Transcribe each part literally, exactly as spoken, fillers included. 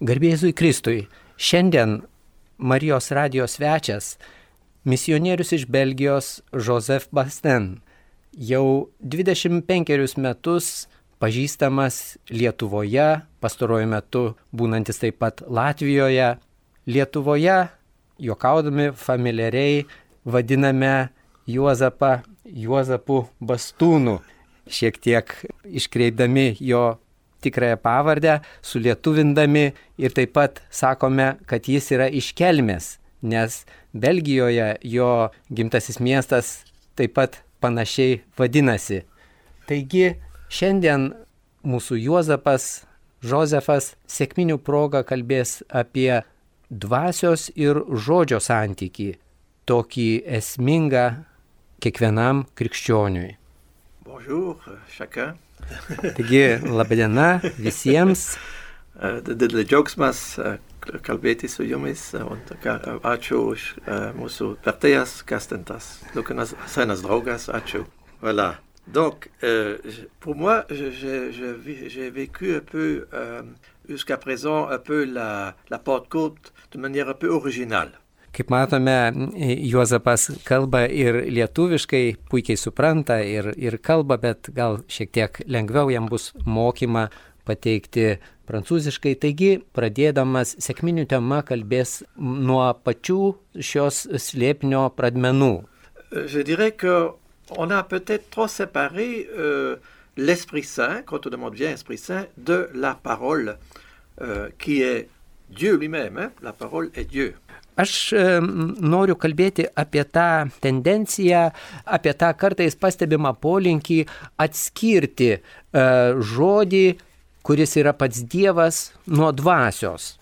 Garbė Jėzui Kristui. Šiandien Marijos radijos svečias, misionierius iš Belgijos Joseph Basten, jau dvidešimt penkerius metus pažįstamas Lietuvoje, pastaruoju metu būnantis taip pat Latvijoje. Lietuvoje, juokaudami familiariai, vadiname Juozapą Juozapu Bastūnu, šiek tiek iškreipdami jo tikrąją pavardę, sulietuvindami ir taip pat sakome, kad jis yra iš Kelmės, nes Belgijoje jo gimtasis miestas taip pat panašiai vadinasi. Taigi šiandien mūsų Juozapas, Josefas sekminių proga kalbės apie dvasios ir žodžio santykį, tokį esmingą kiekvienam krikščioniui. Bonjour, chacun. Taigi, labadiena visiems. Didelis džiaugsmas kalbėti su jumis, ačiū už mūsų vertėjas Kastentas, Lukanas, senas draugas, ačiū. Voilà. Donc, euh, pour moi, j'ai, j'ai, j'ai vécu un peu, euh, jusqu'à présent, un peu la, la Pentecôte de manière un peu originale. Kaip matome, Juozapas kalba ir lietuviškai, puikiai supranta ir, ir kalba, bet gal šiek tiek lengviau jam bus mokymą pateikti prancūziškai. Taigi, pradėdamas sekminių tema kalbės nuo pačių šios slėpinio pradmenų. Je dirais qu'on a peut-être trop séparé euh, l'Esprit Saint, quand on demande bien Esprit Saint, de la parole euh, qui est Dieu lui-même. Hein? La parole est Dieu. Aš e, noriu kalbėti apie tą tendenciją, apie tą kartais pastebimą polinkį atskirti e, žodį, kuris yra pats Dievas, nuo dvasios.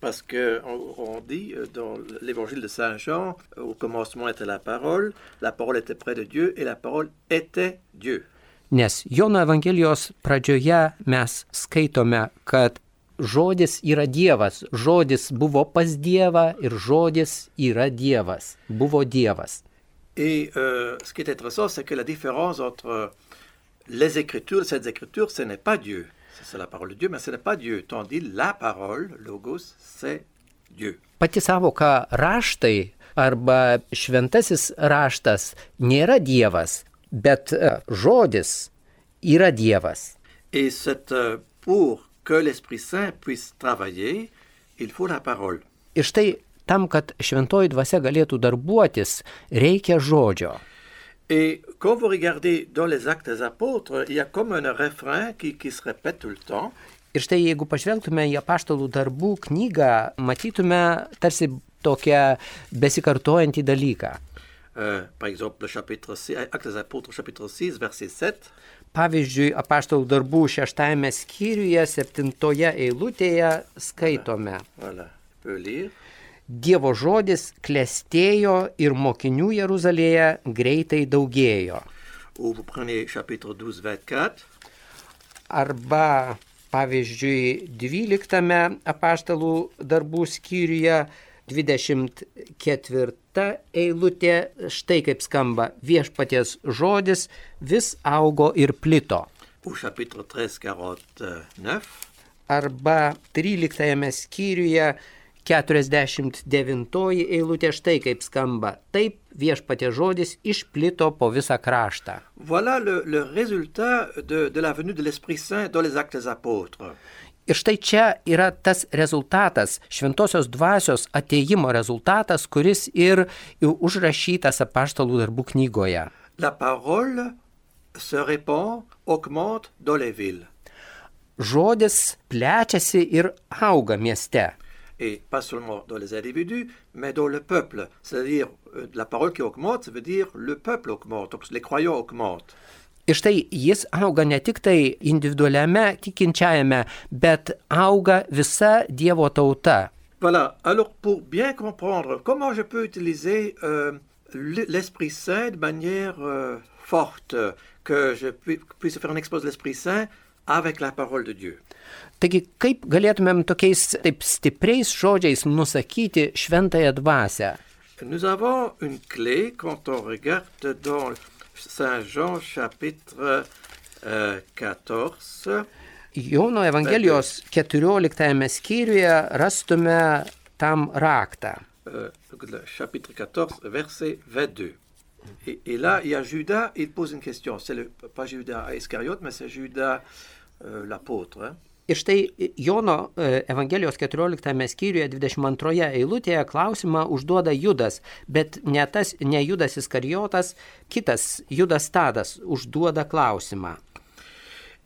Parce qu'on on dit dans l'évangile de Saint Jean, au commencement était la parole, la parole était près de Dieu et la parole était Dieu. Nes Jono Evangelijos pradžioje mes skaitome, kad žodis yra Dievas, žodis buvo pas Dievą ir žodis yra Dievas, buvo Dievas. Et euh, ce qui est intéressant, c'est que la différence entre les Écritures, ces Écritures, ce n'est pas Dieu. C'est la parole de Dieu, mais ce n'est pas Dieu. Tandis la parole, logos, c'est Dieu. Pati savoka raštai arba šventasis raštas nėra Dievas, bet žodis yra Dievas. Et c'est euh, pour que l'Esprit Saint puisse travailler, il faut la parole. Ir štai tam, kad šventoji dvasia galėtų darbuotis, reikia žodžio. Et quand vous regardez dans les Actes des Apôtres, il y a comme un refrain qui, qui se répète tout le temps. Ir štai jeigu pažvelgtume į apaštalų darbų knygą, matytume tarsi tokią besikartojantį dalyką. Euh, par exemple, le chapitre six, Actes des Apôtres, chapitre six, verset sept. Pavyzdžiui, apaštalų darbų šeštajame skyriuje, septintoje eilutėje skaitome. Voilà, peut lire. Dievo žodis klestėjo ir mokinių Jeruzalėje greitai daugėjo. Ou vous prenez chapitre douze, vingt-quatre. Arba, pavyzdžiui, dvyliktame apaštalų darbų skyriuje, dvidešimt ketvirta eilutė, štai kaip skamba: viešpaties žodis vis augo ir plito. Ou chapitre treize, quarante-neuf. Arba tryliktajame skyriuje, keturiasdešimt devintoji eilutė, štai kaip skamba: taip viešpaties žodis išplito po visą kraštą. Voilà le, le résultat de, de la venue de l'Esprit Saint dans les Actes des Apôtres. Ir štai čia yra tas rezultatas, šventosios dvasios atėjimo rezultatas, kuris ir užrašytas apaštalų darbų knygoje. La parole se répand, augmente dans les villes. Žodis plečiasi ir auga mieste. Et pas seulement dans les individus, mais dans le peuple. C'est-à-dire, la parole qui augmente, ça veut dire le peuple augmente, donc les croyants augmentent. Ir štai jis auga ne tik tai individualiame tikinčiajame, bet auga visa Dievo tauta. Voilà, alors pour bien comprendre comment je peux utiliser euh, l'Esprit Saint de manière euh, forte, que je puisse faire un exposé de l'Esprit Saint avec la parole de Dieu. Taigi, kaip galėtumėm tokiais taip stipriais žodžiais nusakyti šventąją dvasią? Nous avons une clé quand on regarde dans Saint Jean chapitre euh, quatorze. Jono Evangelijos keturioliktajame skyriuje rastume tam raktą. Euh, le chapitre quatorze, verset vingt-deux. Et, et là, il y a Judas, il pose une question. C'est le, pas Judas Iscariote, mais c'est Judas euh, l'apôtre. Hein? Ir štai Jono Evangelijos keturioliktame skyriuje dvidešimt antroje eilutėje klausimą užduoda Judas, bet ne, tas, ne Judas Iskarijotas, kitas Judas Tadas užduoda klausimą.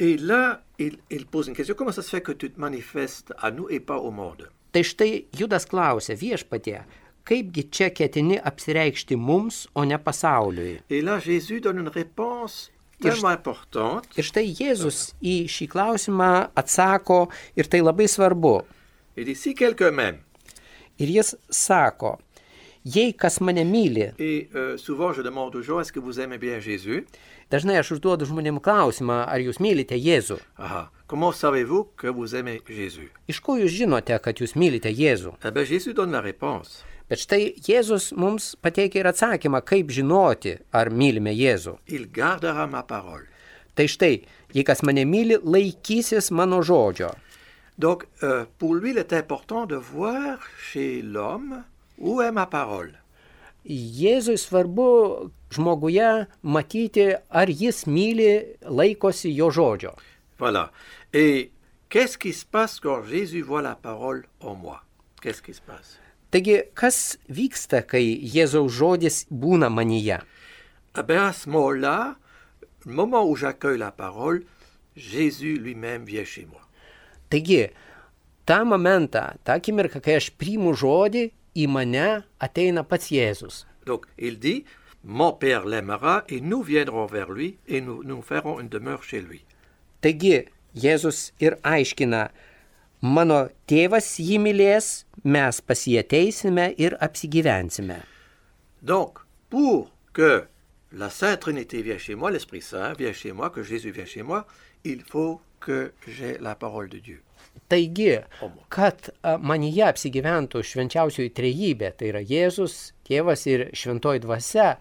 Et là, il, il pose une question. Comment ça se fait que tu te manifestes à nous et pas au monde? Tai štai Judas klausia viešpatie, kaipgi čia ketini apsireikšti mums, o ne pasauliui. Et là, Jésus donne une réponse tellement importante. Ir štai Jėzus į šį klausimą atsako, ir tai labai svarbu. Il dit, si quelqu'un m'aime. Ir jis sako, jei kas mane myli. Et euh, souvent, je demande aux gens, est-ce que vous aimez bien Jésus? Dažnai aš užduodu žmonėms klausimą, ar jūs mylite Jėzų. Aha. Comment savez-vous que vous aimez Jésus? Iš ko jūs žinote, kad jūs mylite Jėzų? Eh bien, Jésus donne la réponse. Bet štai Jėzus mums pateikia ir atsakymą, kaip žinoti, ar mylime Jėzų. Il gardera ma parole. Tai štai, jei kas mane myli, laikysis mano žodžio. Donc, euh, pour lui, il est important de voir chez l'homme où est ma parole. Jėzui svarbu žmoguje matyti, ar jis myli, laikosi jo žodžio. Voilà. Et qu'est-ce qui se passe quand Jésus voit la parole en moi? Qu'est-ce qui se passe? Taigi, kas vyksta, kai Jėzaus žodis būna manyje? Eh bien, à ce moment-là, le moment où j'accueille la parole, Jésus lui-même vient chez moi. Taigi, tą momentą, tą akimirką, kai aš priimu žodį, į mane ateina pats Jėzus. Donc, il dit, mon Père l'aimera et nous viendrons vers lui et nous, nous ferons une demeure chez lui. Taigi, Jėzus ir aiškina, mano tėvas jį mylės, mes pas jį ateisime ir apsigyvensime. Donc, pour que la Sainte Trinité vienne chez moi, l'Esprit Saint vient chez moi, que Jésus vienne chez moi, il faut que j'ai la parole de Dieu. Taigi, kad manyje apsigyventų švenčiausioji trejybė, tai yra Jėzus, Tėvas ir Šventoji Dvasia,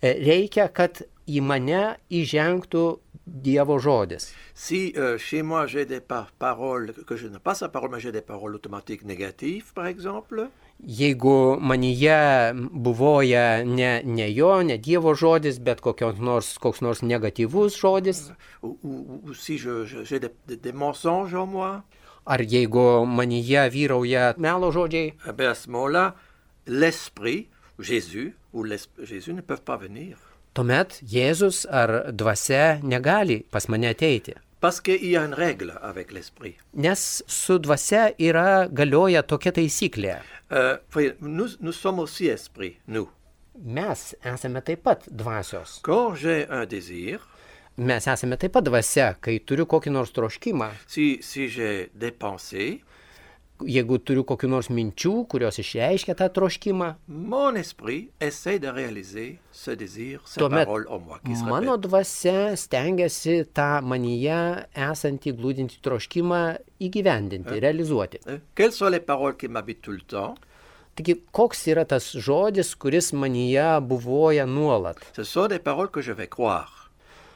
reikia, kad į mane įžengtų Dievo žodis. Si euh, chez moi j'ai des par paroles, que je n'ai pas sa parole, mais j'ai des paroles automatiques négatives, par exemple. Jeigu manyje buvoja ne, ne jo, ne Dievo žodis, bet kokios nors, koks nors negatyvus žodis. Ou, ou, ou si je, je, j'ai des, des, des mensonges en moi. Ar jeigu manyje vyrauja melo žodžiai. Eh bien, à ce moment-là, l'Esprit, Jésus ou Jésus ne peuvent pas venir. Tuomet Jėzus ar dvasia negali pas mane ateiti. Parce qu'il y a une règle avec l'Esprit. Nes su dvasia yra galioja tokia taisyklė. Euh, nous, nous sommes aussi esprit, nous. Mes esame taip pat dvasios. Quand j'ai un désir, mes esame taip pat dvasia, kai turiu kokį nors troškimą. Si, si j'ai des pensées, jeigu turiu kokių nors minčių, kurios išreiškia tą troškimą, mon esprit essaie de réaliser ce désir, cette parole en moi qui se répète. Mano dvasia stengiasi tą manyje esantį glūdintį troškimą įgyvendinti, realizuoti. Quelles sont les paroles qui m'habitent tout le temps? Taigi, koks yra tas žodis, kuris manyje buvoja nuolat? Ce sont des paroles que je vais croire.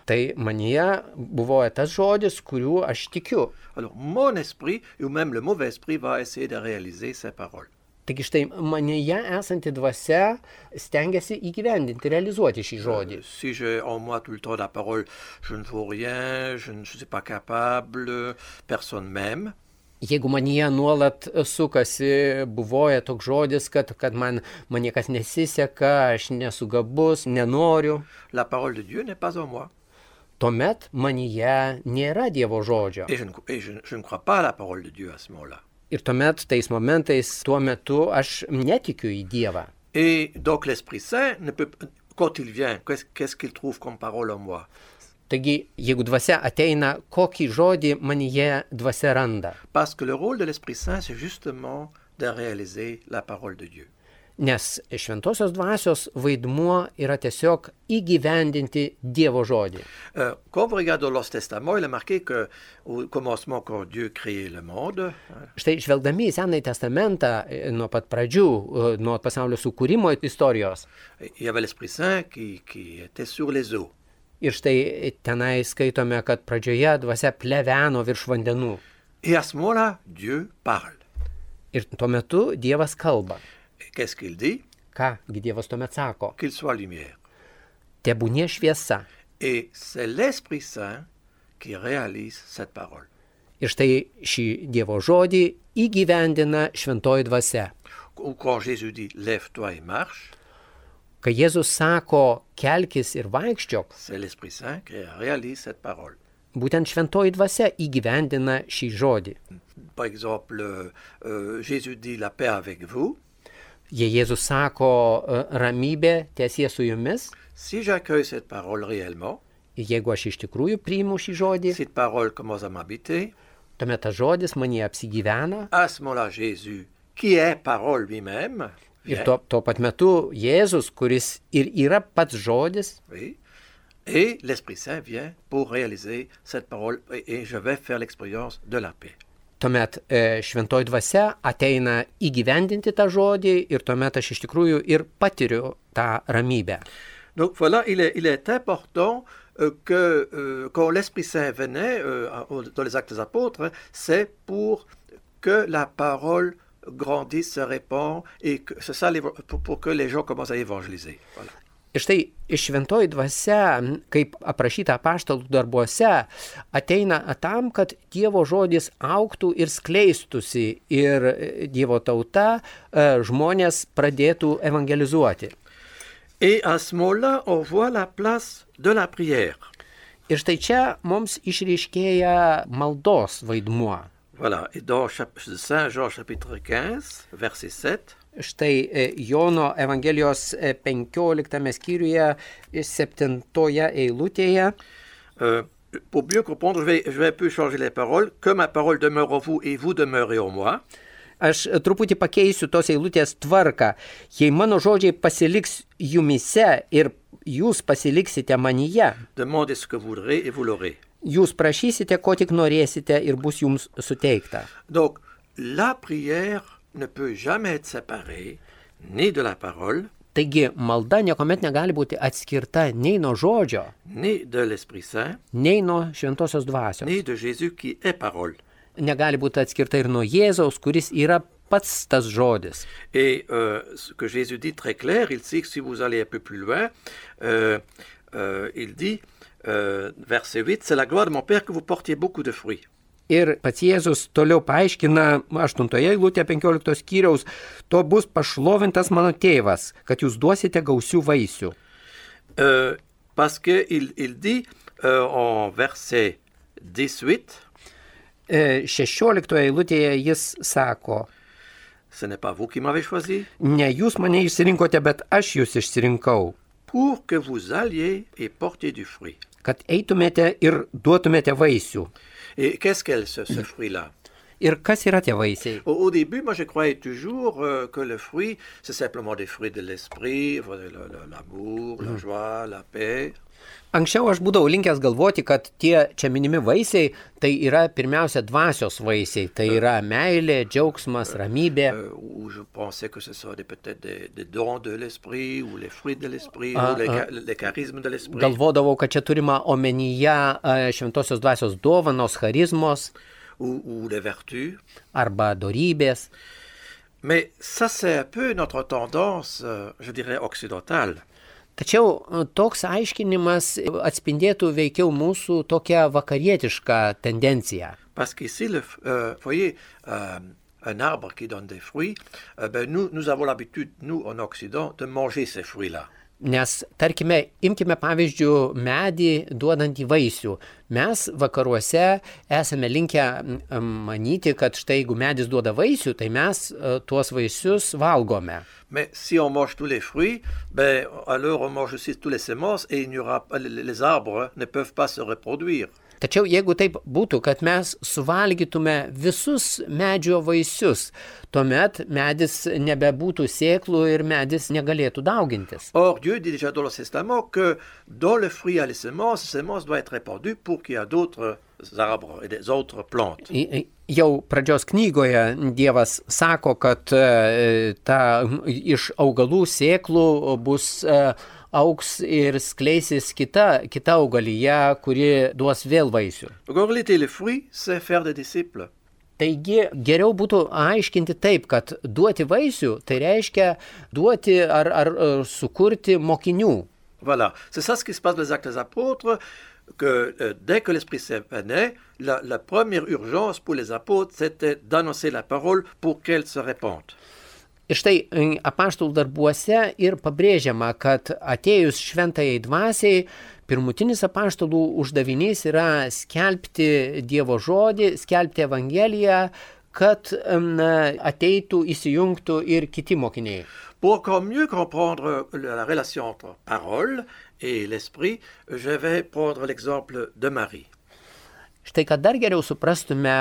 Tai manyje buvoja tas žodis, kuriuo aš tikiu. Alors, mon esprit, ou même le mauvais esprit, va essayer de réaliser ces paroles. Taigi štai manyje esanti dvasia stengiasi įgyvendinti, realizuoti šį žodį. Euh, si j'ai en moi tout le temps la parole, je ne vaux rien, je ne suis pas capable, personne m'aime. Jeigu manyje nuolat sukasi, buvoja toks žodis, kad, kad man, man niekas nesiseka, aš nesu gabus, nenoriu. La parole de Dieu n'est pas en moi. Tuomet manyje nėra Dievo žodžio. Et je ne, et je, je ne crois pas à la parole de Dieu à ce moment-là. Ir tuomet, tais momentais, tuo metu aš netikiu į Dievą. Et donc l'Esprit Saint, ne peut, quand il vient, qu'est-ce, qu'est-ce qu'il trouve comme parole en moi? Taigi, jeigu dvasia ateina, kokį žodį manyje dvasia randa? Parce que le rôle de l'Esprit Saint, c'est justement de réaliser la parole de Dieu. Nes šventosios dvasios vaidmuo yra tiesiog įgyvendinti Dievo žodį. Euh, quand vous regardez dans l'Ancien Testament, il est marqué qu'au commencement, quand Dieu créait le monde, štai žvelgdami į Senąjį testamentą nuo pat pradžių, nuo pasaulio sukūrimo istorijos, il y avait l'Esprit Saint qui, qui était sur les eaux. Ir štai tenai skaitome, kad pradžioje dvasia pleveno virš vandenų. Et à ce moment-là, Dieu parle. Ir tuo metu Dievas kalba. Et qu'est-ce qu'il dit? Kągi Dievas tuomet sako? Qu'il soit lumière. Tebūnie šviesa. Et c'est l'Esprit Saint qui réalise cette parole. Ir štai šį Dievo žodį įgyvendina šventoji dvasia. Ou quand Jésus dit « lève-toi et marche », kai Jėzus sako kelkis ir vaikščiok, c'est l'Esprit Saint qui réalise cette parole. Būtent šventoji dvasia įgyvendina šį žodį. Par exemple, euh, Jésus dit « la paix avec vous ». Jei Jėzus sako ramybė tiesie su jumis, si j'accueille cette parole réellement, jeigu aš iš tikrųjų priimu šį žodį, cette parole commence à m'habiter, tuomet tas žodis manyje apsigyvena. À ce moment-là, Jésus, qui est parole lui-même, ir tuo, tuo pat metu Jėzus, kuris ir yra pats žodis, oui, et l'Esprit Saint vient pour réaliser cette parole et, et je vais faire l'expérience de la paix. Tuomet e, šventoji dvasia ateina įgyvendinti tą žodį ir tuomet aš iš tikrųjų ir patiriu tą ramybę. Donc voilà, il est, il est important euh, que euh, quand l'Esprit Saint venait euh, dans les Actes des Apôtres, c'est pour que la parole grandisse, se répand et que c'est ça pour, pour que les gens commencent à évangéliser. Voilà. Ir štai iš šventoji dvasia, kaip aprašyta apaštalų darbuose, ateina tam, kad Dievo žodis augtų ir skleistusi ir Dievo tauta žmonės pradėtų evangelizuoti. Et à ce moment-là, on voit la place de la prière. Ir štai čia mums išryškėja maldos vaidmuo. Voilà, et dans Saint Jean chapitre quinze, verset sept, štai Jono Evangelijos penkioliktame skyriuje septintoje eilutėje. Euh, pour mieux comprendre, je vais, je vais un peu changer les paroles. Que ma parole demeure en vous et vous demeurez en moi. Aš truputį pakeisiu tos eilutės tvarką. Jei mano žodžiai pasiliks jumise ir jūs pasiliksite manyje, demandez ce que vous voudrez et vous l'aurez. Jūs prašysite, ko tik norėsite ir bus jums suteikta. Donc, la prière ne peut jamais être séparée ni de la parole, taigi malda niekuomet negali būti atskirta nei nuo žodžio, ni de l'Esprit Saint, nei nuo šventosios dvasios. ni de Jésus qui est parole. Negali būti atskirta ir nuo Jėzaus, kuris yra pats tas žodis. Et euh, ce que Jésus dit très clair, il dit que si vous allez un peu plus loin, euh, euh, il dit, euh, verset huit, c'est la gloire de mon Père que vous portiez beaucoup de fruits. Ir pats Jėzus toliau paaiškina aštuntoje eilutėje penkioliktos skyriaus, to bus pašlovintas mano tėvas, kad jūs duosite gausių vaisių. Euh, parce qu'il il dit euh, en verset dix-huit, šešioliktoje eilutėje jis sako, ce n'est pas vous qui m'avez choisi, ne jūs mane išsirinkote, bet aš jūs išsirinkau, pour que vous alliez et portiez du fruit. Kad eitumėte ir duotumėte vaisių. Et qu'est-ce qu'est ce, ce fruit-là? Ir kas yra tie vaisiai? Au, au début, moi, je croyais toujours euh, que le fruit, c'est simplement des fruits de l'esprit, l'amour, la joie, la paix. Anksčiau aš būdavau linkęs galvoti, kad tie čia minimi vaisiai, tai yra pirmiausia dvasios vaisiai, tai yra meilė, džiaugsmas, ramybė. Euh, ou je pensais que ce soit peut-être des, des dons de l'esprit, ou les fruits de l'esprit, ah, ou les, ah. les charismes de l'esprit. Galvodavau, kad čia turima omenyje šventosios dvasios dovanos, charizmos. Ou, ou les vertus. Arba dorybės. Mais ça, c'est un peu notre tendance, euh, je dirais, occidentale. Tačiau toks aiškinimas atspindėtų veikiau mūsų tokią vakarietišką tendenciją. Parce qu'ici, le, euh, voyez, euh, un arbre qui donne des fruits, euh, ben nous, nous avons l'habitude, nous, en Occident, de manger ces fruits-là. Nes, tarkime, imkime pavyzdžių medį duodantį vaisių. Mes vakaruose esame linkę manyti, kad štai jeigu medis duoda vaisių, tai mes uh, tuos vaisius valgome. Mais si on mange tous les fruits, ben, alors on mange aussi tous les semences et il n'y aura, les arbres ne peuvent pas se reproduire. Tačiau jeigu taip būtų, kad mes suvalgytume visus medžio vaisius, tuomet medis nebebūtų sėklų ir medis negalėtų daugintis. Or, Dieu dit déjà dans le Testament que dans le fruit il y a les semences, les semences doivent être répandues pour qu'il y ait d'autres arbres et des autres plantes. Jau pradžios knygoje Dievas sako, kad ta, iš augalų sėklų bus auks ir skleisis kita, kita augalija, kuri duos vėl vaisių. Donc en réalité, le fruit, c'est faire des disciples. Taigi geriau būtų aiškinti taip, kad duoti vaisių, tai reiškia duoti ar, ar, ar sukurti mokinių. Voilà, c'est ça ce qui se passe dans les Actes des Apôtres, que euh, dès que l'Esprit Saint venait, la, la première urgence pour les apôtres, c'était d'annoncer la parole pour qu'elle se répande. Ir štai apaštalų darbuose ir pabrėžiama, kad atėjus šventajai dvasiai, pirmutinis apaštalų uždavinys yra skelbti Dievo žodį, skelbti Evangeliją, kad na, ateitų, įsijungtų ir kiti mokiniai. Pour encore mieux comprendre la relation entre parole et l'esprit, je vais prendre l'exemple de Marie. Štai, kad dar geriau suprastume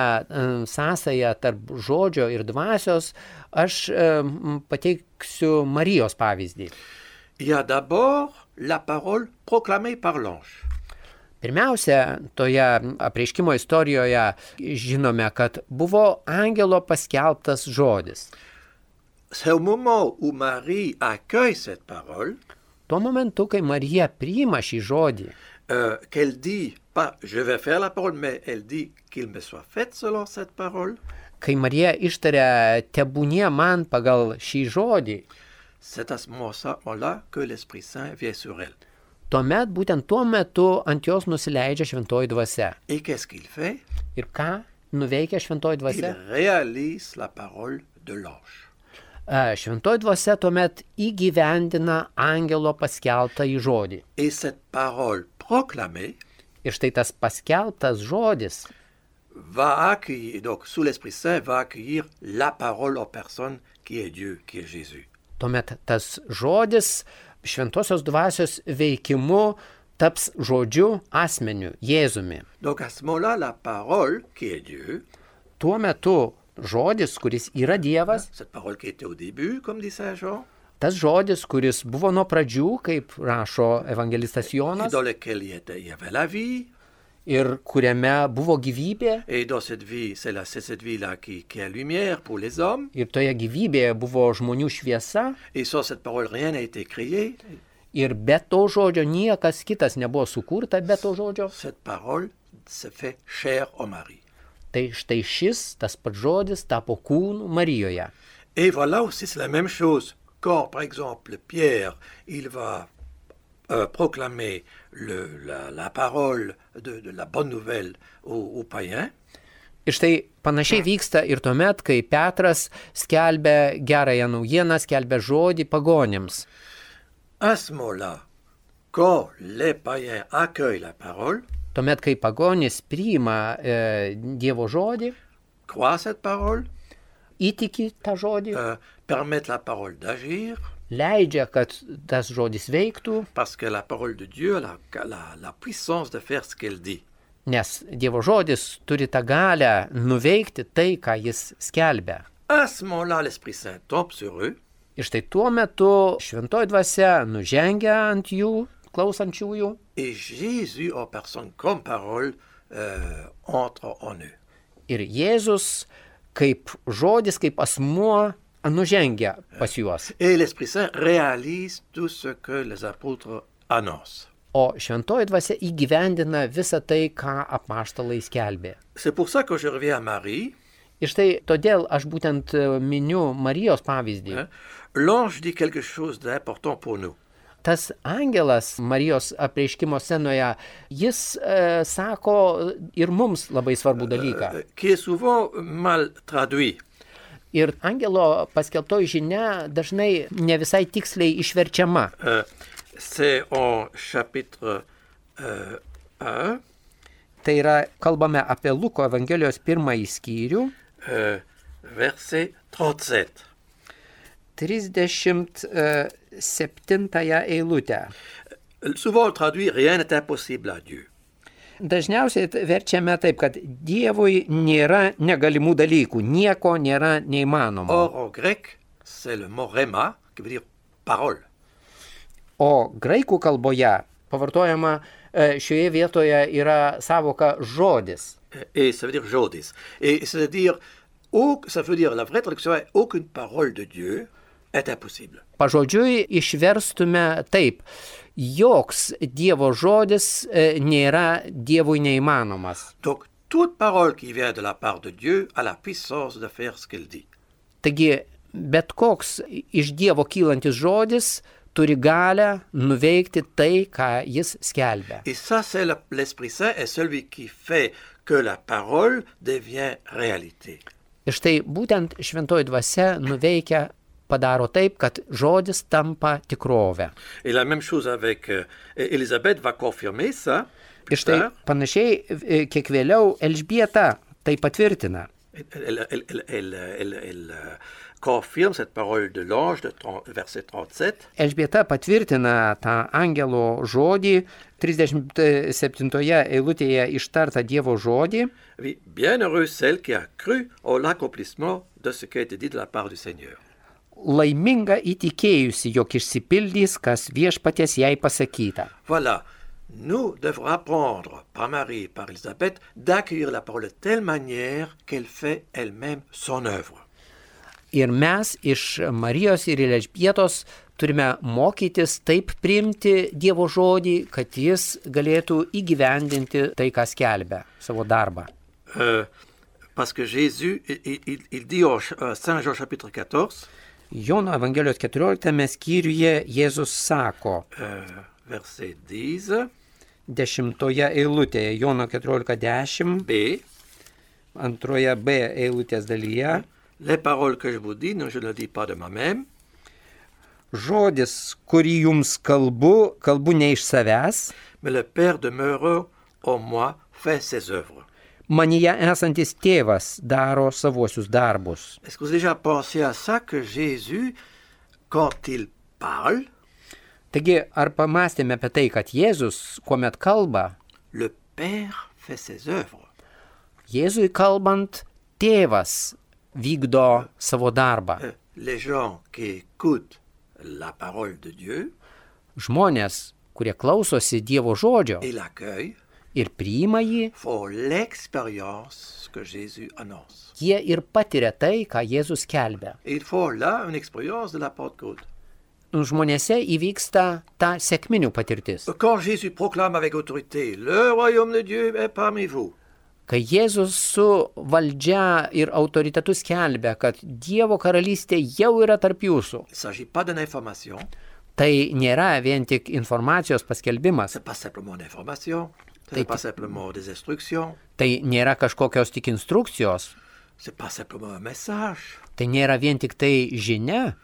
sąsają tarp žodžio ir dvasios, aš pateiksiu Marijos pavyzdį. Il y a d'abord la parole proclamée par l'ange. Pirmiausia, toje apreiškimo istorijoje žinome, kad buvo angelo paskelbtas žodis. C'est au moment où Marie accueille cette parole, tuo momentu, kai Marija priima šį žodį, euh, qu'elle dit, pas je vais faire la parole, mais elle dit qu'il me soit fait selon cette parole. Kai Marija ištaria tebūnie man pagal šį žodį, c'est à ce moment-là que l'Esprit Saint vient sur elle. Tuomet, būtent tuo metu ant jos nusileidžia šventoji dvasia. Et qu'est-ce qu'il fait? Ir ką nuveikia šventoji dvasia? Il réalise la parole de l'ange. Šventoji dvasia tuomet įgyvendina angelo paskelbtą į žodį. Et cette parole proclamée, ir štai tas paskelbtas žodis va accueillir, donc sous l'Esprit Saint, va accueillir la parole en personne qui est Dieu, qui est Jésus. Tuomet tas žodis šventosios dvasios veikimu taps žodžiu asmeniu, Jėzumi. Donc à ce moment-là, la parole qui est Dieu, tuo metu žodis, kuris yra Dievas, cette parole qui était au début, comme dit Saint Jean, tas žodis, kuris buvo nuo pradžių, kaip rašo evangelistas Jonas, dans lequel il y avait la vie, ir kuriame buvo gyvybė, et dans cette vie, c'est, la, c'est cette vie-là qui, qui est lumière pour les hommes, ir toje gyvybėje buvo žmonių šviesa, et sans cette parole, rien n'a été créé. Ir be to žodžio niekas kitas nebuvo sukurta, be to žodžio. Cette parole se fait chair en Marie. Tai štai šis, tas pats žodis, tapo kūnu Marijoje. Et voilà aussi, c'est la même chose. Quand, par exemple, Pierre, il va euh, proclamer le, la, la parole de, de la bonne nouvelle aux, aux païens. Ir štai panašiai vyksta ir tuomet, kai Petras skelbia gerąją naujieną, skelbia žodį pagonims. À ce moment-là, quand les païens accueillent la parole, tuomet, kai pagonis priima e, Dievo žodį, croient cette parole, įtiki tą žodį, euh, permettent la parole d'agir, leidžia, kad tas žodis veiktų, parce que la parole de Dieu a la, la, la puissance de faire ce qu'elle dit. Nes Dievo žodis turi tą galę nuveikti tai, ką jis skelbia. À ce moment-là, l'Esprit Saint tombe sur eux. Ir štai tuo metu šventoji dvasia nužengia ant jų, klausančiųjų. Et Jésus en personne comme parole euh, entre en eux. Ir Jėzus kaip žodis, kaip asmuo nužengia pas juos. Et l'Esprit Saint réalise tout ce que les apôtres annoncent. O šventoji dvasia įgyvendina visą tai, ką apaštalai skelbė. C'est pour ça que je reviens à Marie. Ir štai todėl aš būtent miniu Marijos pavyzdį. Hein? L'ange dit quelque chose d'important pour nous. Tas angelas Marijos apreiškimo scenoje, jis e, sako ir mums labai svarbų dalyką. Euh, qui est souvent mal traduit. Ir angelo paskelbtoji žinia dažnai ne visai tiksliai išverčiama. Euh, c'est en chapitre euh, un. Tai yra, kalbame apie Luko Evangelijos pirmąjį skyrių. Euh, verset trente-sept. trisdešimt septintąją eilutę. Souvent on traduit rien n'est impossible à Dieu. Dažniausiai verčiame taip, kad Dievui nėra negalimų dalykų, nieko nėra neįmanomo. Or en grec, c'est le mot rhéma qui veut dire parole. O graikų kalboje pavartojama šioje vietoje yra savoka žodis. Et ça veut dire jodis. Et c'est-à-dire, ça veut dire, la vraie traduction est aucune parole de Dieu est impossible. Pažodžiui išverstume taip. Joks Dievo žodis e, nėra Dievui neįmanomas. Donc, toute parole qui vient de la part de Dieu a la puissance de faire ce qu'elle dit. Taigi, bet koks iš Dievo kylantis žodis turi galę nuveikti tai, ką jis skelbia. Et ça, c'est le- l'Esprit Saint est celui qui fait que la parole devient réalité. Ir štai būtent šventoji dvasia nuveikia, padaro taip, kad žodis tampa tikrovę. Et la même chose avec euh, Élisabeth va confirmer ça. Ir štai tard. panašiai e, kiek vėliau Elžbieta tai patvirtina. Elle, elle- elle- elle- elle- elle, euh, confirme cette parole de l'ange de trente verset trente-sept. Elžbieta patvirtina tą angelo žodį, trisdešimt septintoje eilutėje ištartą Dievo žodį. Oui, bienheureuse celle qui a cru au l'accomplissement de ce qui a été dit de la part du Seigneur. Laiminga įtikėjusi, jog išsipildys, kas viešpaties jai pasakyta. Voilà, nous devrons apprendre par Marie et par Élisabeth d'accueillir la parole de telle manière qu'elle fait elle-même son œuvre. Ir mes iš Marijos ir Elžbietos turime mokytis taip priimti Dievo žodį, kad jis galėtų įgyvendinti tai, ką skelbia, savo darbą. Euh, parce que Jésus, il, il- il dit au ch- euh, Saint Jean chapitre quatorze, Jono Evangelijos keturioliktame skyriuje Jėzus sako, euh, verset dix, dešimtoje eilutėje, Jono keturiolika dešimt, B, antroje B eilutės dalyje, les paroles que je vous dis, non, je ne le dis pas de moi-même, žodis, kurį jums kalbu, kalbu ne iš savęs, mais le Père demeurant en moi fait ses œuvres. manyje esantis tėvas daro savuosius darbus. Est-ce que vous avez déjà pensé à ça que Jésus, quand il parle, Taigi, ar pamastėme apie tai, kad Jėzus, kuomet kalba, le Père fait ses œuvres? Jėzui kalbant, tėvas vykdo savo darbą. Euh, Les gens qui écoutent la parole de Dieu Žmonės, kurie klausosi Dievo žodžio et l'accueillent ir priima jį, font l'expérience que Jésus annonce. jie ir patiria tai, ką Jėzus kelbia. Et ils font là une expérience de la Pentecôte. Žmonėse įvyksta ta sekminių patirtis. Quand Jésus proclame avec autorité, le royaume de Dieu est parmi vous, Kai Jėzus su valdžia ir autoritetu skelbia, kad Dievo karalystė jau yra tarp jūsų, il ne s'agit pas d'une information, tai nėra vien tik informacijos paskelbimas, ce n'est pas simplement une information, ce T'es- n'est pas simplement des instructions, tai nėra kažkokios tik instrukcijos, ce n'est pas simplement un message, tai nėra vien tik tai žinia,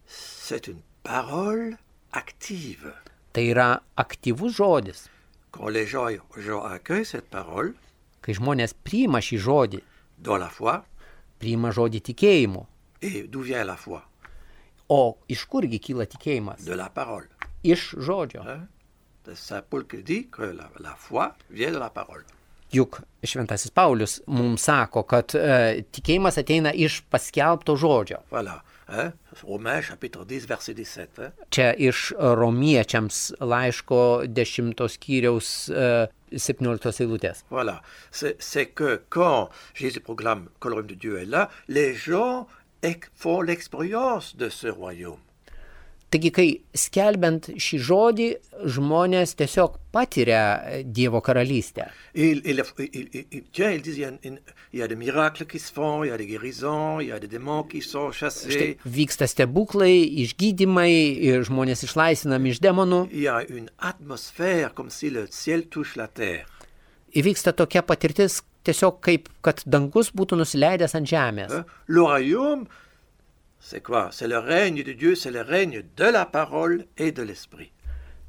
c'est une parole active. tai yra aktyvus žodis. Quand les gens, gens accueillent cette parole Kai žmonės priima šį žodį, dans la foi, priima žodį tikėjimu. et d'où vient la foi? O iš kurgi kyla tikėjimas? De la parole. Iš žodžio. Hein? C'est Saint Paul qui dit que la, la foi vient de la parole. Juk šventasis Paulius mums sako, kad e, tikėjimas ateina iš paskelbto žodžio. Voilà. Hein? Romains chapitre dix, verset dix-sept. Hein? Čia iš romiečiams laiško dešimtos skyriaus e, septynioliktos eilutės. Voilà. C'est c'est que quand Jésus proclame que le royaume de Dieu est là, les gens ex- font l'expérience de ce royaume. Taigi, kai skelbiant šį žodį, žmonės tiesiog patiria Dievo karalystę. Et il, il, il, il- il- tiens, ils disent, il y, a une- il y a des miracles qui se font, il y a des guérisons, il y a des démons qui sont Štai chassés, vyksta stebuklai, išgydymai ir žmonės išlaisvinami iš demonų. il y a une atmosphère comme si le ciel touche la terre. Įvyksta tokia patirtis tiesiog kaip, kad dangus būtų nusileidęs ant žemės. Hein? Le royaume, c'est quoi? C'est le règne de Dieu, c'est le règne de la parole et de l'esprit.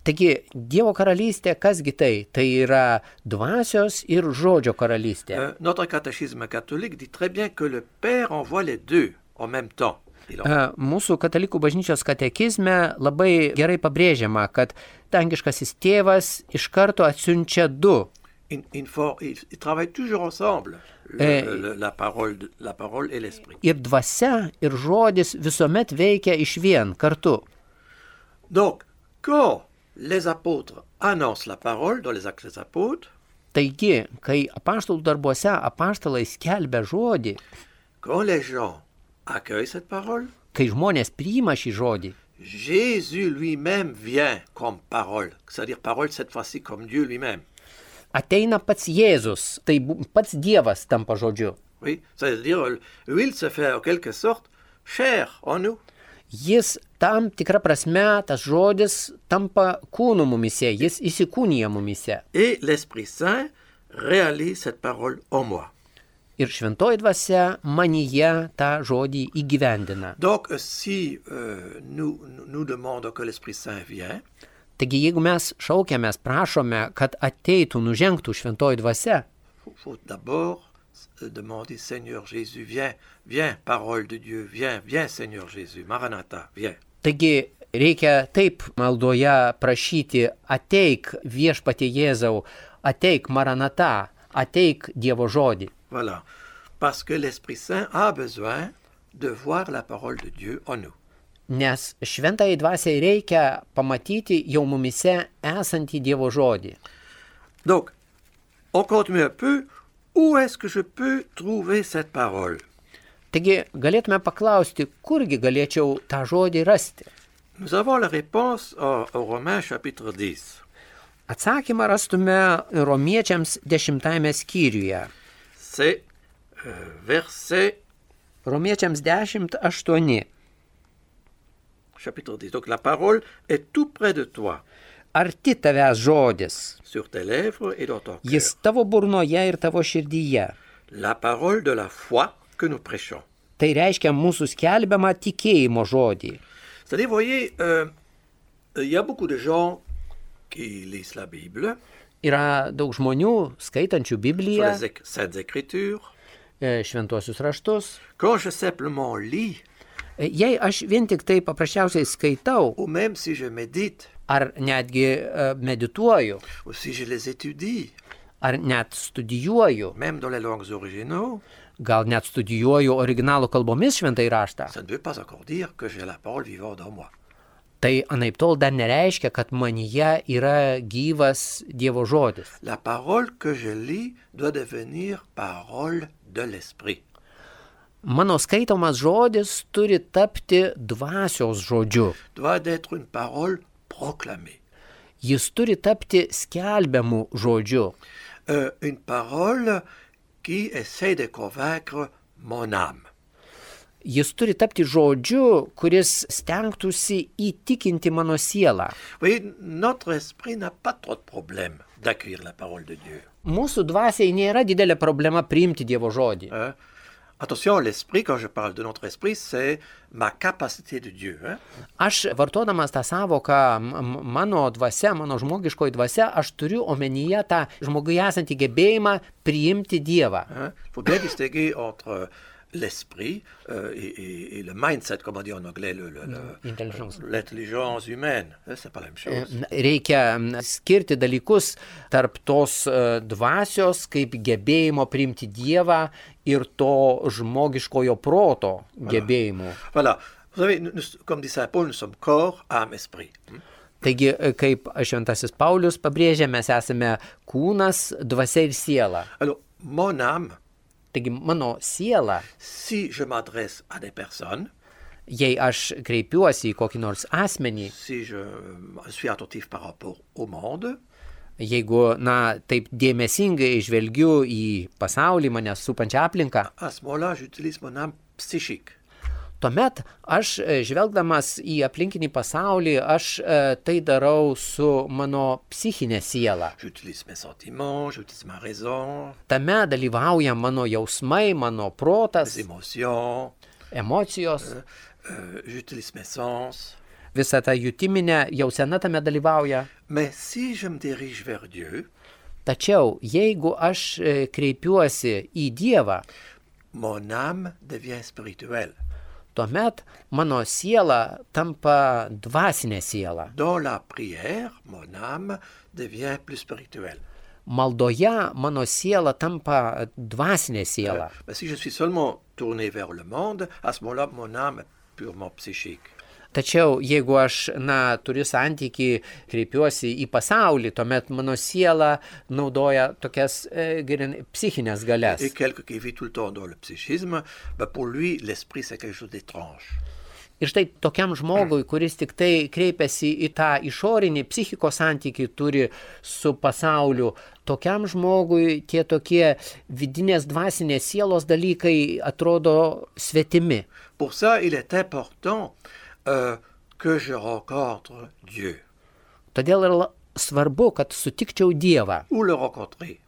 Taigi, Dievo karalystė, kasgi tai? Tai yra dvasios ir žodžio karalystė. Euh, notre catéchisme catholique dit très bien que le Père envoie les deux en même temps. Il en- E, Mūsų katalikų bažnyčios katekizme labai gerai pabrėžiama, kad dangiškasis tėvas iš karto atsiunčia du. il- il faut- ils, ils travaillent toujours ensemble, le- Eh, le- la, parole, de- la parole et l'esprit. Ir dvasia, ir žodis visuomet veikia iš vien kartu. Donc, quand les apôtres annoncent la parole dans les actes des apôtres, Taigi, kai apaštalų darbuose apaštalai skelbia žodį, quand les gens accueillent cette parole, kai žmonės priima šį žodį, Jésus lui-même vient comme parole, c'est-à-dire parole cette fois-ci comme Dieu lui-même. ateina pats Jėzus, tai bu- pats Dievas tampa žodžiu. Oui, c'est-à-dire, lui, il se fait en quelque sorte chair en nous. Jis tam tikrą prasme, tas žodis tampa kūnu mumise, jis įsikūnija mumise. Et l'Esprit Saint réalise cette parole en moi. Ir šventoji dvasia manyje tą žodį įgyvendina. Donc, si euh, nous, nous demandons que l'Esprit Saint vienne, Taigi, jeigu mes šaukiamės, prašome, kad ateitų, nužengtų šventoji dvasia, il faut d'abord demander, Seigneur Jésus, viens, viens, parole de Dieu, viens, viens, Seigneur Jésus, Maranatha, viens. taigi reikia taip maldoje prašyti, ateik viešpatie Jėzau, ateik Maranata, ateik Dievo žodį. Voilà, parce que l'Esprit Saint a besoin de voir la parole de Dieu en nous. Nes šventai dvasiai reikia pamatyti jau mumise esantį Dievo žodį. Donc, on continue un peu, où est-ce que je peux trouver cette parole? Taigi galėtume paklausti, kurgi galėčiau tą žodį rasti. Nous avons la réponse au, au Romains chapitre dix. Atsakymą rastume romiečiams dešimtajame skyriuje. C'est euh, verset Romiečiams dešimt aštuoni. chapitre dix. Donc la parole est tout près de toi, Arti tavęs žodis, sur tes lèvres et dans ton cœur. jis tavo burnoje ir tavo širdyje. La parole de la foi que nous prêchons. Tai reiškia mūsų skelbiamą tikėjimo žodį. C'est-à-dire, vous voyez, euh, il y a beaucoup de gens qui lisent la Bible, Yra daug žmonių skaitančių sur Bibliją, les éc- Saintes Écritures. e, šventuosius raštus. Quand je simplement lis, E, Jei aš vien tik tai paprasčiausiai skaitau, ou même si je médite, ar netgi e, medituoju, ou si je les étudie, ar net studijuoju, même dans les langues originaux, gal net studijuoju originalų kalbomis šventai raštą, ça ne veut pas encore dire que j'ai la parole vivante en moi. tai anaiptol dar nereiškia, kad manyje yra gyvas Dievo žodis. La parole que je lis doit devenir parole de l'esprit. Mano skaitomas žodis turi tapti dvasios žodžiu. Doit être une parole proclamée. Jis turi tapti skelbiamų žodžiu. Euh, une parole qui essaie de convaincre mon âme. Jis turi tapti žodžiu, kuris stengtųsi įtikinti mano sielą. Vous voyez, notre esprit n'a pas trop de problème d'accueillir la parole de Dieu. Mūsų dvasiai nėra didelė problema priimti Dievo žodį. Hein? Attention, l'esprit, quand je parle de notre esprit, c'est ma capacité de Dieu. Hein? Aš vartodamas tą savoką m- m- mano dvasia, mano žmogiškoji dvasia, aš turiu omenyje tą žmogui esantį gebėjimą priimti Dievą. Il faut bien distinguer entre l'esprit euh, et, et- et le mindset, comme on dit en anglais, le- le- le- Intelligence. l'intelligence humaine. Hein, c'est pas la même chose. Na, Reikia m, skirti dalykus tarp tos e, dvasios, kaip gebėjimo priimti Dievą ir to žmogiškojo proto gebėjimų. Voilà. Vous savez, nous- nous- comme dit Saint Paul, nous sommes corps, âme, esprit. Hmm? Taigi, e, kaip šventasis Paulius pabrėžė, mes esame kūnas, dvasia ir siela. Alors, mon âme, Taigi, mano siela, si je m'adresse à des personnes, jei aš kreipiuosi į kokį nors asmenį, si je euh, suis attentif par rapport au monde, jeigu, na, taip dėmesingai žvelgiu į pasaulį, mane supančią aplinką, à ce moment-là, j'utilise mon âme psychique. tuomet aš, e, žvelgdamas į aplinkinį pasaulį, aš e, tai darau su mano psichinė siela. J'utilise mes sentiments, j'utilise ma raison, Tame dalyvauja mano jausmai, mano mes protas, émotions, emocijos, euh, j'utilise mes sens. visa ta jutiminė jausena tame dalyvauja. Mais si je me dirige vers Dieu, Tačiau jeigu aš e, kreipiuosi į Dievą, mon âme devient spirituelle. tuomet mano siela tampa dvasinė siela. Dans la prière, mon âme devient plus spirituelle. Maldoje mano siela tampa dvasinė siela. Euh, mais si je suis seulement tourné vers le monde, à ce moment-là, mon âme est purement psychique. Tačiau jeigu aš, na, turiu santykį, kreipiuosi į pasaulį, tuomet mano siela naudoja tokias e, grin- psichinės galias. Et quelqu'un qui vit tout le temps dans le psychisme, ben pour lui, l'esprit, c'est quelque chose d'étrange. Ir štai tokiam žmogui, kuris tik tai kreipiasi į tą išorinį psichikos santykį turi su pasauliu, tokiam žmogui tie tokie vidinės dvasinės sielos dalykai atrodo svetimi. Pour ça, il est important euh, que je rencontre Dieu. Todėl yra svarbu, kad sutikčiau Dievą. Où le rencontrer?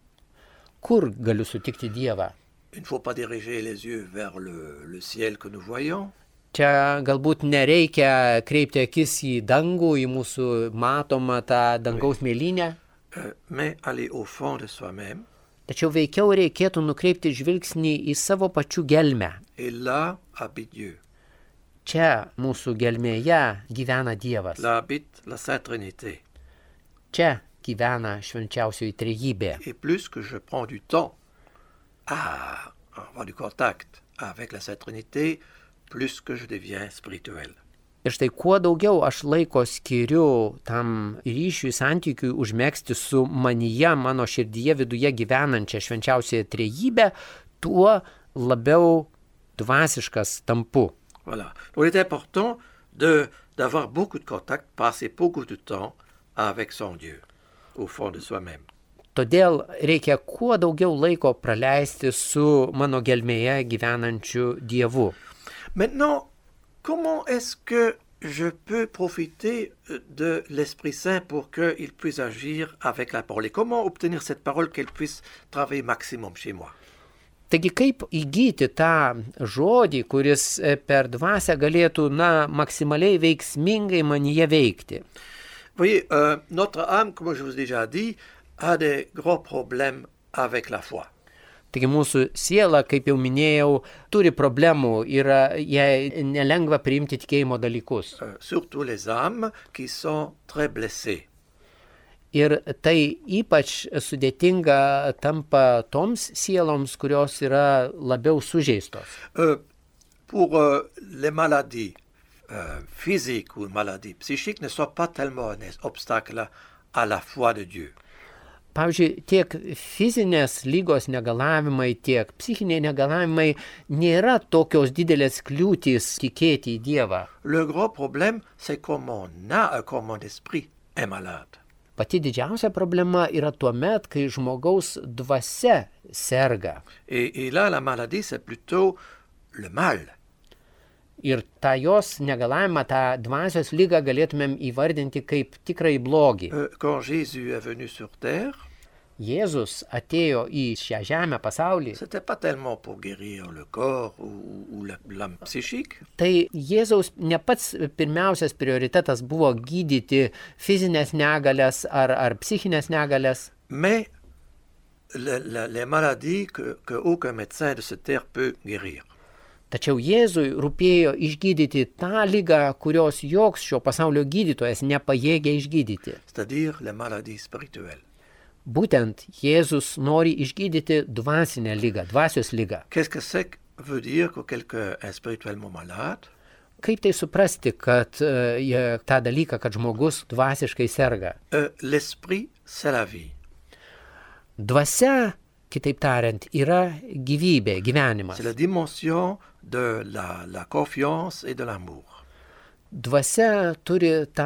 Kur galiu sutikti Dievą? Il ne faut pas diriger les yeux vers le, le ciel que nous voyons. Čia galbūt nereikia kreipti akis į dangų, į mūsų matomą tą dangaus mėlynę. Euh, mais aller au fond de soi-même. Tačiau veikiau reikėtų nukreipti žvilgsnį į savo pačių gelmę. Et là habite Dieu. Čia mūsų gelmėje gyvena Dievas. Là habite la Sainte Trinité. Čia gyvena švenčiausioji trejybė. Et plus que je prends du temps à avoir du contact avec la Sainte Trinité, plus que je deviens spirituel. Ir štai kuo daugiau aš laiko skiriu tam ryšiui, santykiui užmegzti su manyje, mano širdyje viduje gyvenančia švenčiausiąją trejybę, tuo labiau dvasiškas tampu. Voilà. Donc il est important de, d'avoir beaucoup de contact, passer beaucoup de temps avec son Dieu, au fond de soi-même. Todėl reikia kuo daugiau laiko praleisti su mano gelmėje gyvenančiu Dievu. Maintenant, comment est-ce que je peux profiter de l'Esprit Saint pour qu'il puisse agir avec la parole? Et comment obtenir cette parole qu'elle puisse travailler maximum chez moi? Taigi kaip įgyti tą žodį, kuris per dvasią galėtų, na, maksimaliai veiksmingai manyje veikti? Vous voyez, euh, notre âme, comme je vous ai déjà dit, a des gros problèmes avec la foi. Taigi mūsų siela, kaip jau minėjau, turi problemų, yra jai nelengva priimti tikėjimo dalykus. Euh, surtout les âmes qui sont très blessées. Ir tai ypač sudėtinga tampa toms sieloms, kurios yra labiau sužeistos. Euh, pour euh, les maladies euh, physiques ou maladies psychiques ne sont pas tellement un obstacle à la foi de Dieu. Pavyzdžiui, tiek fizinės lygos negalavimai, tiek psichiniai negalavimai nėra tokios didelės kliūtys tikėti į Dievą. Le gros problème, c'est comme on a, comme mon esprit est malade. Pati didžiausia problema yra tuomet, kai žmogaus dvasia serga. Et, et là, la maladie, c'est plutôt le mal. Ir tą jos negalavimą, tą dvasios lygą galėtumėm įvardinti kaip tikrai blogį. Euh, quand Jésus est venu sur terre, Jėzus atėjo į šią žemę pasaulį. c'était pas tellement pour guérir le corps ou, ou la- l'âme psychique, Tai Jėzaus ne pats pirmiausias prioritetas buvo gydyti fizinės negalės ar, ar psichinės negalės, mais le- le- les maladies que, que aucun médecin de cette terre peut guérir. tačiau Jėzui rūpėjo išgydyti tą ligą, kurios joks šio pasaulio gydytojas nepajėgia išgydyti. C'est-à-dire les maladies spirituelles. Būtent Jėzus nori išgydyti dvasinę ligą, dvasios ligą. Qu'est-ce que c'est que veut dire que quelqu'un est spirituellement malade? Kaip tai suprasti, kad uh, jie- tą dalyką, kad žmogus dvasiškai serga? Euh, l'esprit, c'est la vie. Dvasia, kitaip tariant, yra gyvybė, gyvenimas. C'est la dimension de la, la confiance et de l'amour. Dvasia turi tą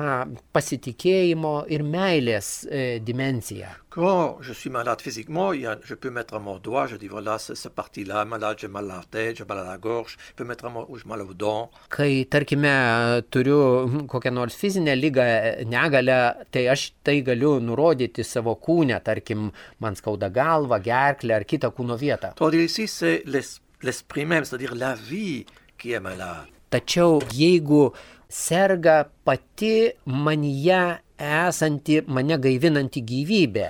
pasitikėjimo ir meilės e, dimensiją. Quand je suis malade physiquement, il y a- je peux mettre mon doigt, je dis voilà, c'est cette partie-là, malade, j'ai mal à la tête, j'ai mal à la gorge, je peux mettre mon, ou j'ai mal au dent. Kai, tarkime, turiu mm, kokią nors fizinę lygą, e, negalę, tai aš tai galiu nurodyti savo kūne, tarkim, man skauda galva, gerklę ar kitą kūno vietą. Tandis ici, c'est l'es- l'esprit même, c'est-à-dire la vie qui est malade. Tačiau jeigu serga pati manyje esanti, mane gaivinanti gyvybė,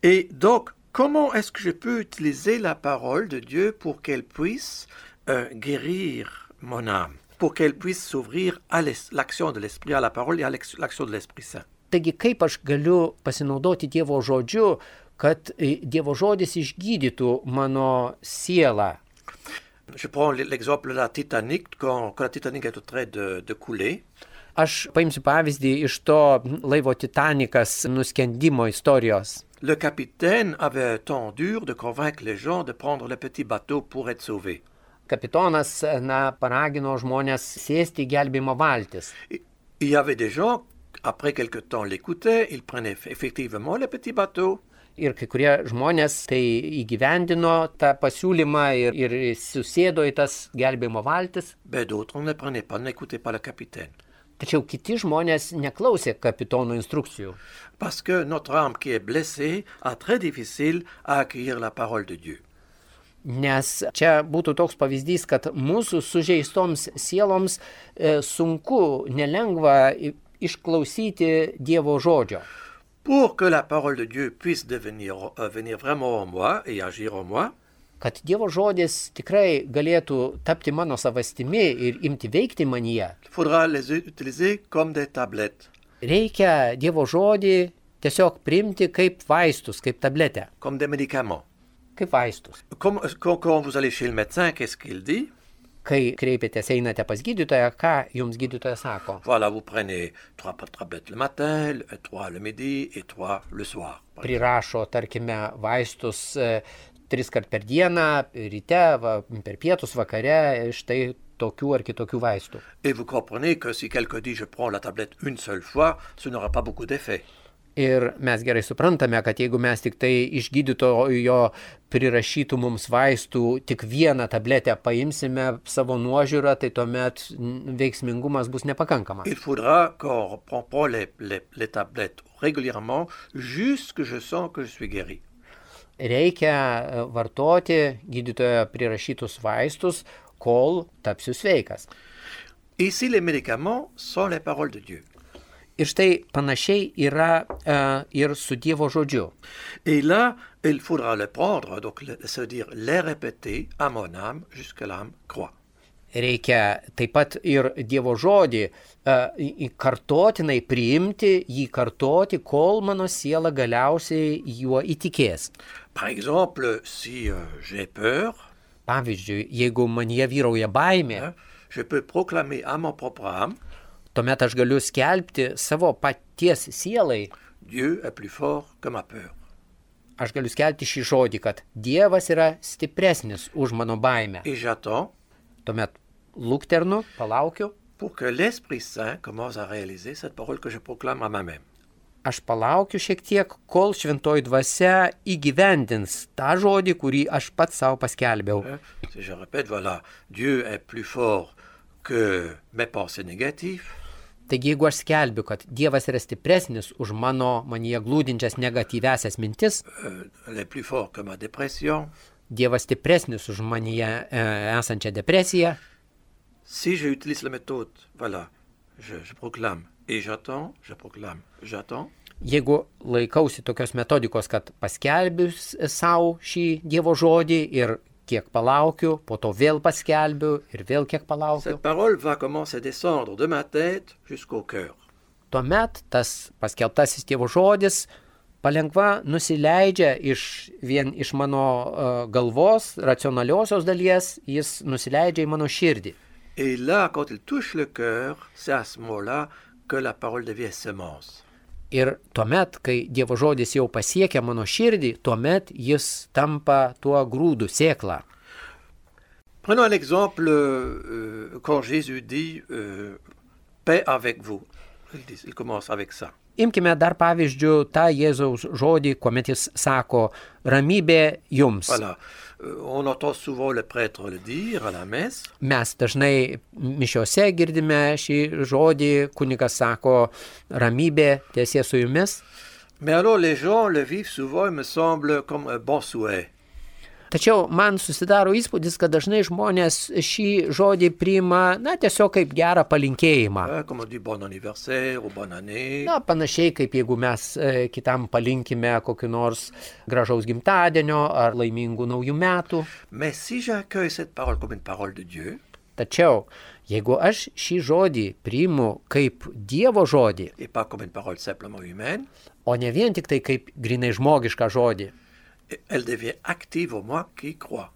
Et donc, comment est-ce que je peux utiliser la parole de Dieu pour qu'elle puisse euh, guérir mon âme, pour qu'elle puisse s'ouvrir à l'es- l'action de l'Esprit, à la parole et à l'ex- l'action de l'Esprit Saint? taigi kaip aš galiu pasinaudoti Dievo žodžiu, kad e, Dievo žodis išgydytų mano sielą. Je prends l- l'exemple de la Titanic, quand, quand la Titanic est au train de, de couler. Aš paimsiu pavyzdį iš to laivo Titanikas nuskendimo istorijos. Le capitaine avait un temps dur de convaincre les gens de prendre le petit bateau pour être sauvés. kapitonas, na, paragino žmonės sėsti į gelbėjimo valtis. Il y avait des gens, après quelque temps l'écoutaient, ils prenaient effectivement les petits bateaux. Ir kai kurie žmonės tai įgyvendino tą pasiūlymą ir, ir susėdo į tas gelbėjimo valtis. Ben d'autres ne prenaient pas, n'écoutaient pas le capitaine. Tačiau kiti žmonės neklausė kapitono instrukcijų. Parce que notre âme qui est blessée a très difficile à accueillir la parole de Dieu. Nes čia būtų toks pavyzdys, kad mūsų sužeistoms sieloms e, sunku, nelengva išklausyti Dievo žodžio. Pour que la parole de Dieu puisse devenir, euh, venir vraiment en moi et agir en moi, kad Dievo žodis tikrai galėtų tapti mano savastimi ir imti veikti manyje, il faudra les utiliser comme des tablettes. Reikia Dievo žodį tiesiog priimti kaip vaistus, kaip tabletę. Comme des médicaments. Kaip vaistus. Comme, quand, quand vous allez chez le médecin, qu'est-ce qu'il dit? Kai kreipėtės, einate pas gydytoją, ką jums gydytojas sako? Voilà, vous prenez trois tablettes le matin, trois le midi et trois le soir. Prirašo, tarkime, vaistus e, tris kart per dieną, ryte, va, per pietus, vakare, štai tokių ar kitokių vaistų. Et vous comprenez que si quelqu'un dit je prends la tablette une seule fois, ce n'aura pas beaucoup d'effet. Ir mes gerai suprantame, kad jeigu mes tik tai iš gydytojo prirašytų mums vaistų tik vieną tabletę paimsime savo nuožiūrą, tai tuomet veiksmingumas bus nepakankamas. Il faudra qu'on prend les, les, les tablettes régulièrement jusque je sens que je suis guéri. Reikia vartoti gydytojo prirašytus vaistus, kol tapsiu sveikas. Ici, les médicaments sont les paroles de Dieu. Ir štai panašiai yra uh, ir su Dievo žodžiu. Et là, il faudra le prendre, donc c'est-à-dire les répéter à mon âme jusqu'à l'âme croit. Reikia taip pat ir Dievo žodį uh, kartotinai priimti, jį kartoti, kol mano siela galiausiai juo įtikės. Par exemple, si euh, j'ai peur, pavyzdžiui, jeigu manyje vyrauja baimė, hein, je peux proclamer à mon propre âme, tuomet aš galiu skelbti savo paties sielai. Dieu est plus fort que ma peur. Aš galiu skelbti šį žodį, kad Dievas yra stipresnis už mano baimę. Et j'attends. Tuomet lukternu, palaukiu. Pour que l'Esprit Saint commence à réaliser cette parole que je proclame à moi-même. Aš palaukiu šiek tiek, kol šventoji dvasia įgyvendins tą žodį, kurį aš pats savo paskelbiau. Si je répète, voilà, Dieu est plus fort que mes pensées négatives. Taigi, jeigu aš skelbiu, kad Dievas yra stipresnis už mano manyje glūdinčias negatyviasias mintis, euh, les plus forts que ma dépression. Dievas stipresnis už manyje e, esančią depresiją. Si j'utilise la méthode, voilà, je, je proclame et j'attends, je proclame, j'attends. Jeigu laikausi tokios metodikos, kad paskelbiu savo šį Dievo žodį ir kiek palaukiu, po to vėl paskelbiu ir vėl kiek palaukiu. Cette parole va commencer à descendre de ma tête jusqu'au cœur. Tuomet tas paskelbtasis Dievo žodis palengva nusileidžia iš, vien iš mano uh, galvos, racionaliosios dalies, jis nusileidžia į mano širdį. Et là, quand il touche le cœur, c'est à ce moment-là que la parole devient semence. Ir tuomet, kai Dievo žodis jau pasiekia mano širdį, tuomet jis tampa tuo grūdu, sėklą. Prenons un exemple euh, quand Jésus dit euh, « paix avec vous ». Il, dit, il commence avec ça. Imkime dar pavyzdžių tą Jėzaus žodį, kuomet jis sako ramybė jums. Voilà. On entend souvent le prêtre le dire à la messe. Mes dažnai mišiose girdime šį žodį, kunigas sako ramybė tiesie su jumis. Mais alors les gens le vivent souvent, il me semble, comme un bon souhait. Tačiau man susidaro įspūdis, kad dažnai žmonės šį žodį priima, na, tiesiog kaip gerą palinkėjimą. Comme on dit bon anniversaire ou bonne année. Na, panašiai kaip jeigu mes e, kitam palinkime kokiu nors gražaus gimtadienio ar laimingų naujų metų. Mais si j'accueille cette parole comme une parole de Dieu, tačiau, jeigu aš šį žodį priimu kaip Dievo žodį, et pas comme une parole simplement humaine, o ne vien tik tai kaip grinai žmogišką žodį, elle devient active en moi qui croit.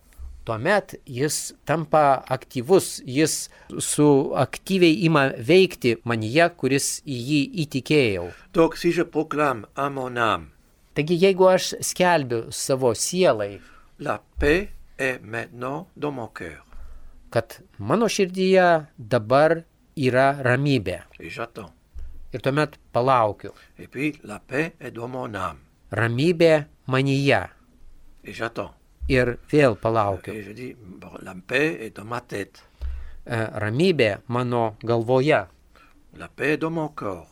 Tuomet jis tampa aktyvus, jis su aktyviai ima veikti manyje, kuris į jį įtikėjau. Donc, si je proclame à mon âme, taigi, jeigu aš skelbiu savo sielai, la paix est maintenant dans mon cœur. kad mano širdyje dabar yra ramybė. Et j'attends. Ir tuomet palaukiu. Et puis, la paix est dans mon âme. Ramybė manyje. Et j'attends. Ir vėl palaukiu. Et je dis, bon, la paix est dans ma tête. Ramybė mano galvoje. La paix est dans mon corps.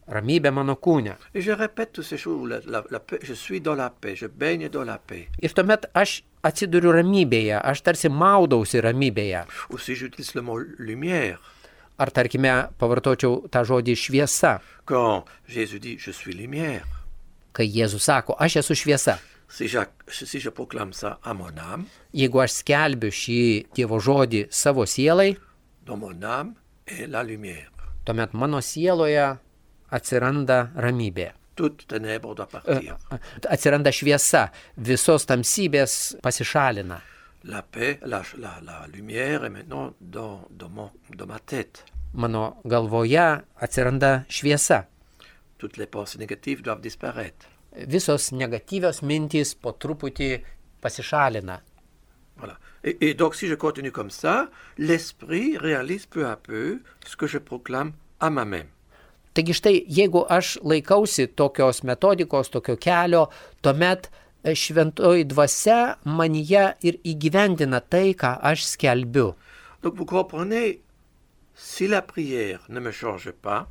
Ramybė mano kūne. Et je répète toutes ces choses. La, la, la paix, je suis dans la paix. Je baigne dans la paix. Ir tuomet aš atsiduriu ramybėje. Aš tarsi maudausi ramybėje. Ou si j'utilise le mot lumière. Ar tarkime pavartočiau tą žodį šviesa. Quand Jésus dit, je suis lumière. Kai Jėzus sako, aš esu šviesa. Si je, si je proclame ça à mon âme. Jeigu aš skelbiu šį Dievo žodį savo sielai. Dans mon âme est la lumière. Tuomet mano sieloje atsiranda ramybė. Toute ténèbre doit partir. Atsiranda šviesa, visos tamsybės pasišalina. La paix, la, la, la lumière est maintenant dans, dans, mon, dans ma tête. Mano galvoje atsiranda šviesa. Toutes les pensées négatives doivent disparaître. Visos negatyvios mintys po truputį pasišalina. Voilà. Et, et donc si je continue comme ça, l'esprit réalise peu à peu ce que je proclame à moi-même. Taigi štai, jeigu aš laikausi tokios metodikos, tokio kelio, tuomet šventoji dvasia manyje ir įgyvendina tai, ką aš skelbiu. Donc vous comprenez, si la prière ne me change pas,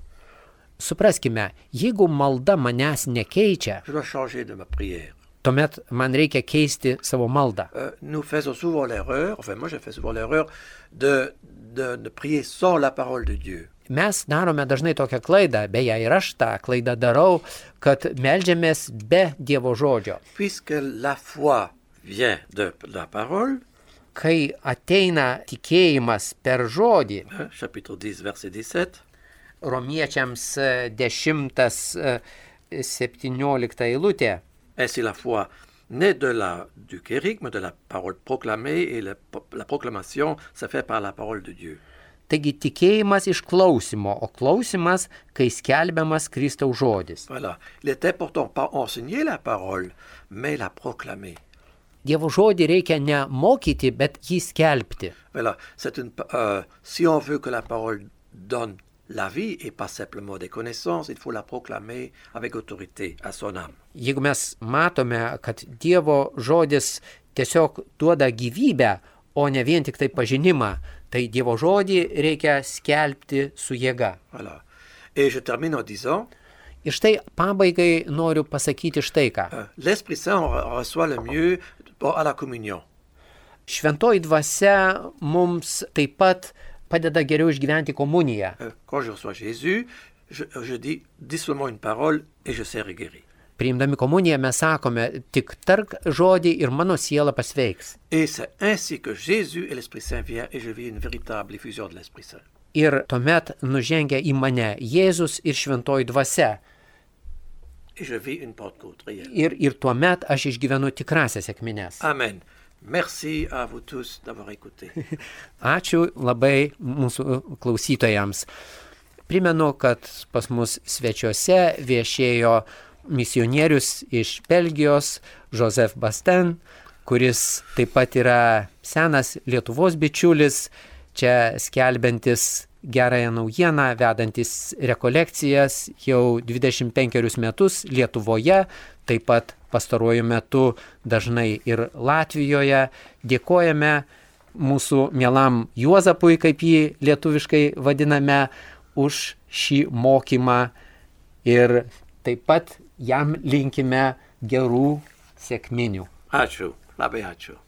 supraskime, jeigu malda manęs nekeičia, je dois changer de ma prière. Tuomet man reikia keisti savo maldą. Euh, nous faisons souvent l'erreur, enfin moi je fais souvent l'erreur, de, de, de prier sans la parole de Dieu. Mes darome dažnai tokią klaidą, beje ir aš tą klaidą darau, kad meldžiamės be Dievo žodžio. Puisque la foi vient de la parole, kai ateina tikėjimas per žodį, chapitre dix, verset dix-sept, Romiečiams dešimtas septyniolikta eilutė. Ainsi la foi naît de la, du kérigme, de la parole proclamée, et la, la proclamation se fait par la parole de Dieu. Taigi tikėjimas iš klausimo, o klausimas, kai skelbiamas Kristaus žodis. Voilà. Il est important pas enseigner la parole, mais la proclamer. Dievo žodį reikia ne mokyti, bet jį skelbti. Voilà. C'est une, euh, si on veut que la parole donne la vie et pas simplement des connaissances, il faut la proclamer avec autorité à son âme. Jeigu mes matome, kad Dievo žodis tiesiog duoda gyvybę, o ne vien tik tai pažinimą, tai Dievo žodį reikia skelbti su jėga. Voilà. Et je termine en disant, ir štai pabaigai noriu pasakyti štai ką. Euh, L'Esprit Saint reçoit le mieux à la communion. Šventoji dvasia mums taip pat padeda geriau išgyventi komuniją. Quand je reçois Jésus, je, je dis, dis seulement une parole et je serai guéri. Priimdami komuniją mes sakome, tik tark žodį ir mano siela pasveiks. Et c'est ainsi que Jésus et l'Esprit Saint viennent et je vis une véritable effusion de l'Esprit Saint. Ir tuomet nužengia į mane Jėzus ir šventoji dvasia. Et je vis une Pentecôte réelle. Ir, ir tuomet aš išgyvenu tikrasias sekmines. Amen. Merci à vous tous d'avoir écouté. Ačiū labai mūsų klausytojams. Primenu, kad pas mus svečiuose viešėjo misionierius iš Belgijos, Joseph Basten, kuris taip pat yra senas Lietuvos bičiulis, čia skelbiantis gerąją naujieną, vedantis rekolekcijas jau dvidešimt penkerius metus Lietuvoje, taip pat pastaruoju metu dažnai ir Latvijoje. Dėkojame mūsų mielam Juozapui, kaip jį lietuviškai vadiname, už šį mokymą ir taip pat jam linkime gerų sekminių. Ačiū, labai ačiū.